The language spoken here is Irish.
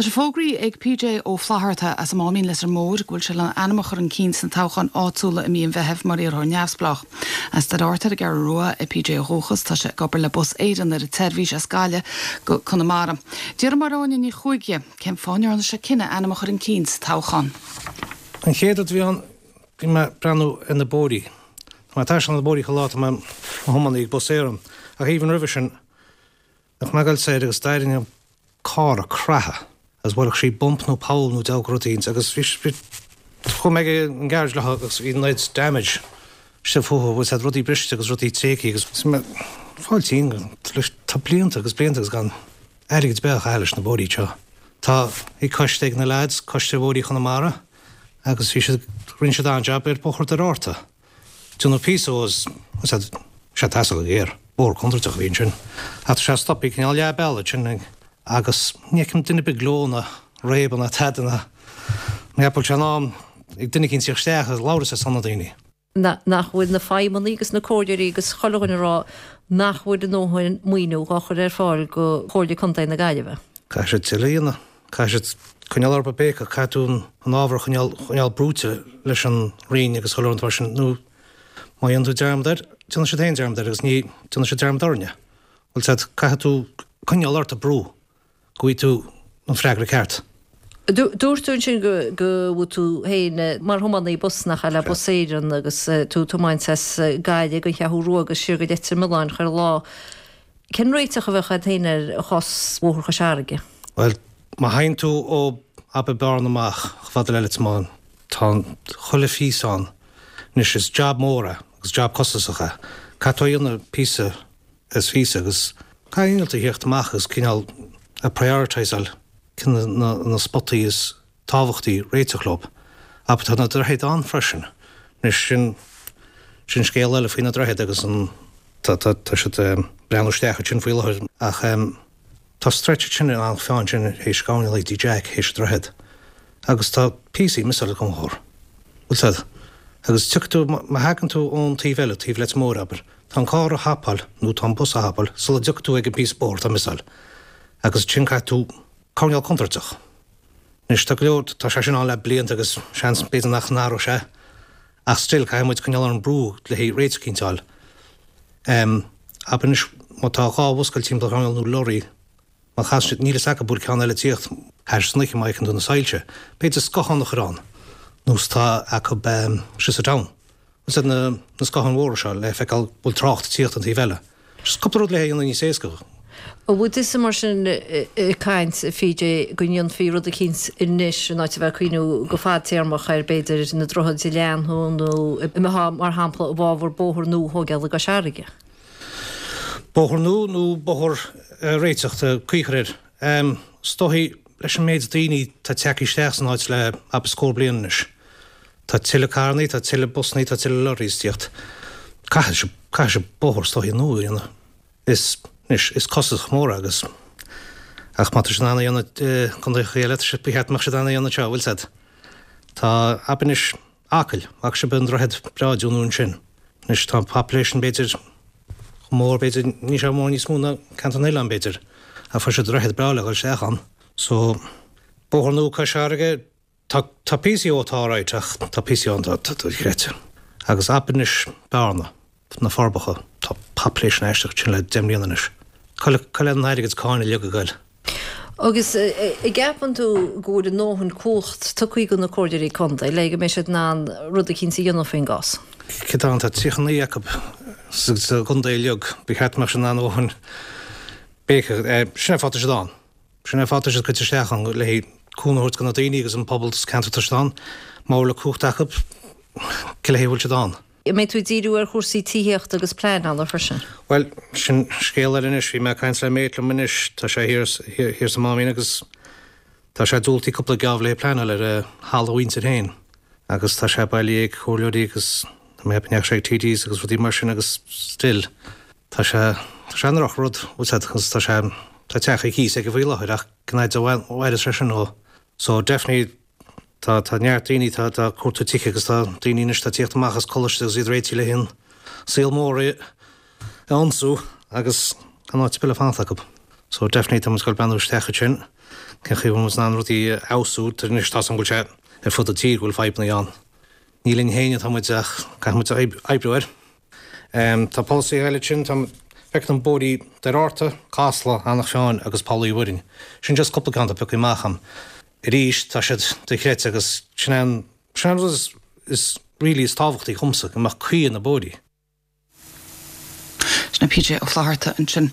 Tá sé fógraithe ag PJ Ó Flatharta as an Máimín Leitir Móir go bhfuil sé lena ainm a chur chun cinn sna toghcháin áitiúla i mí an Mheithimh mar iarrthóir neamhspleách. As Doire Fhatharta ar an gCeathrú Rua é PJ ó dhúchas. Tá sé ag obair le Bus Éireann ar an tseirbhís as Gaillimh go Conamara. D'fhiafraigh Máire Áine Ní Chuaig dhe cén fáth a ndearna sé cinneadh a ainm a chur chun cinn sa toghchán. An chéad rud a bhí ann, bhí mé ag breathnú ar na bóithrí. Tá mé ag taisteal ar na bóithrí chuile lá, tá mé i mo thiománaí ag Bus Éireann. Ach even roimhe sin, bhíodh mé ag goil soir agus d'éirigh an carr ag creathadh agus bhuailfeadh sí bump nó poll nó deabhadh rud éicint agus bhí, bhí, chuaigh mé ag an garage leo agus bhí an oiread damage istigh fúthu, bhfuil a fhios agat, rudaí briste agus rudaí tréigthe agus bhí mé ag fáil tinn, tá blianta agus blianta agus gan airgead ar bith á chaitheamh leis na bóithrí seo. Tá, bhí coiste ag na lads, Coiste Bhóithrí Chonamara agus bhí siad, rinne siad an-jab ar Bhóthar Doire Fhatharta. Déanadh píosa dhó is sé ag teastáil go géar. Bóthar contúirteach a bhí ansin. Ach tá sé stoptha cineál leath bealaigh ansin agus ní fheicim duine ar bith ag gleo ná réabadh ná tada ná ní bhfuil sé in am ag duine eicínt tíocht isteach agus labhairt ar son na daoine. Nach bhfuil na feidhmeannaigh agus na comhairleoirí agus chuile dhuine ag rá nach bhfuil a ndóthain maoiniú dhá chur ar fáil go Chomhairle Contae na Gaillimhe. Caithfidh siad tuilleadh a dhéanamh. Caithfidh siad coinneáil orthu ag béiceadh, caithfidh tú an ábhar a choinneáil, choinneáil brúite leis an Roinn agus chuile rud mar sin nó má dhéanann tú dearmad air, déanfaidh siad féin dearmad air agus ní déanfaidh siad dearmad orainne. Bhfuil a fhios agat, caithfidh tú coinneáil ort ag brú go bhfaighidh tú an freagra ceart. Dúirt tú ansin go bhfuil tú féin mar thiománaí bus nach ea le Bus Éireann agus tú ag tiomáint as Gaillimh don Cheathrú Rua agus siar go Leitir Mealláin chuile lá. Cén réiteach a bheadh agat féin ar chás Bhóthar Chois Fharraige? Bhuel, má théann tú ó abair Bearna amach chomh fada le Leitir Mealláin, tá an chuile phíosa ann. Anois, is jab mór é agus jab costasach é. Caithfidh tú é a dhéanamh píosa is phíosa agus caithfidh innealtóirí a theacht amach agus cineál a prioritiseáil cinn na na spotaí is tábhachtaí réiteach leo. Abair tá na droichid ann freisin. Anois sin, sin scéal eile faoi na droichid agus an, tá, tá, tá siad ag breathnú isteach ansin faoi láthair ach tá stretch ansin in Eanach Mheáin sin théis gabháil go dtí Jack théis an droichead agus tá píosaí miseáil ag an chór. Bhfuil a fhios agat? Agus tiocfaidh tú, má thagann tú ón taobh eile, taobh Leitir Móir abair, tá an carr a thapáil nó tá an bus a thapáil sula dtiocfaidh tú ag an píosa bóthair atá miseáil agus ansin caithfidh tú coirnéal contúirteach. Anois, tá go leor, tá sé sin ann le blianta agus seans b'fhéidir nach n-athróidh sé ach still caithfidh muid coinneáil orainn brú le haghaidh réiteach eicínt a fháil. Em, abair anois má tá 2 bhus ag goil timpeall an choirnéil nó lorry, má chasann siad, níl fhios acu bhfuil ceann eile ag tíocht thairis san oíche má fheiceann tú na soilse, b'fhéidir scáthán a chur ann nós atá acu em, síos sa town. Is iad na scátháin mhóra seo le feiceáil bhfuil trácht ag tíocht an taobh eile. Just cúpla rud le dhéanamh níos éasca. An bhfuil tusa mar sin ag caint, a PJ, go ndéanfaí rud eicínt anois in áit a bheith ag cuimhniú go fadtéarmach ar b'fhéidir na droichid a leathnú nó an mbeifeá mar shampla i bhfabhar bóthar nua a thóigeáil i gCois Fharraige? Bóthar nua nó bóthar a réiteach, tá caoi a chur air. Is dóichí leis an méid daoine atá tagtha isteach san áit le abair scór bliain anois. Tá tuilleadh carrannaí, tá tuilleadh busannaí, tá tuilleadh lorries ag tíocht. Caithfidh siad, caithfidh siad bóthar is dóichí nua a dhéanamh. Is, anois, is costasach mór é agus, ach má tá siad in ann a dhéanamh i gcontaethacha eile, tá siad, ba cheart go mbeadh siad in ann a dhéanamh anseo, bhfuil 's a'd. Tá, abair anois, Acaill, bhfaca sibh an droichead breá a déanadh ansin. Anois, tá an population b'fhéidir chomh mór, b'fhéidir, níl sé mór níos mó ná ceantar na n-oileán b'fhéidir, ach fuair siad droichead breá le dhul isteach ann. So, bóthar nua Cois Fharraige, Tá, tá píosaí dhó atá alright ach tá píosaí ann atá dochreidte. Agus abair anois Bearna, na Forbacha, tá population aisteach ansin le 10 mbliana anois. Cá bhfuil an airgead cáin uilig ag goil? Agus an gceapann tú go bhfuil a ndóthain cumhacht tugtha do na comhairleoirí contae le go mbeidh siad in ann rud eicínt a dhéanamh faoin gcás? Céard atá ann, tá 39 acu sa gcontae uilig, ba cheart go mbeadh siad in ann a dhóthain béiceadh, sin é an fáth atá siad ann. Sin é an fáth atá siad curtha isteach ann, le haghaidh cúnamh a thabhairt do na daoine agus an pobal sa ceantar atá siad ann. Má bhfuil an cumhacht acu, cé le haghaidh a bhfuil siad ann? An mbeidh tú ag díriú ar chúrsaí tithíochta agus pleanála freisin? Bhuel, sin scéal eile anois. Bhí mé ag caint le mate liom anois, tá sé thiar, thiar sa Máimín agus tá sé diúltaithe cúpla geábh le haghaidh pleanáil ar a thalamh a mhuintir féin agus tá sé bailithe ag comhairleoirí agus tá mé ag ceapadh go ndeachaigh sé ag TDs agus rudaí mar sin agus still Tá sé, tá sé ina dhrochrud, bhfuil 's a'd, agus tá sé, tá teach ar cíos aige faoi láthair ach cén fhaid a mhairfeas sé sin dhó. So definitely tá, tá neart daoine, tá, tá ag cuartú tithe agus tá daoine anois atá ag tíocht amach as coláiste agus iad réitithe le haghaidh an saol mór a ionsú agus gan áit ar bith le fanacht acu. So definitely tá muid ag dul breathnú isteach ansin. Cén chaoi a bhfuil muid in ann rudaí a fheabhsú? Anois tá's agam go bhfuil sé ar fud an tír go bhfuil fadhbanna ann. Ní linn féin atá muid ach caithfidh muid oibriú air. Tá polasaithe eile ansin, tá feiceann an bóithrí Doire Fhátharta, Casla, Eanach Mheáin agus Poll Uí Mhuirinn. Sin just cúpla ceann atá pioctha amach agam. Arís, tá siad dochreidte agus sin é an sin é an rud is is really is tábhachtaí dhomsa, go mbeadh caoi ar na bóithrí. Sin é PJ Ó Flatharta ansin.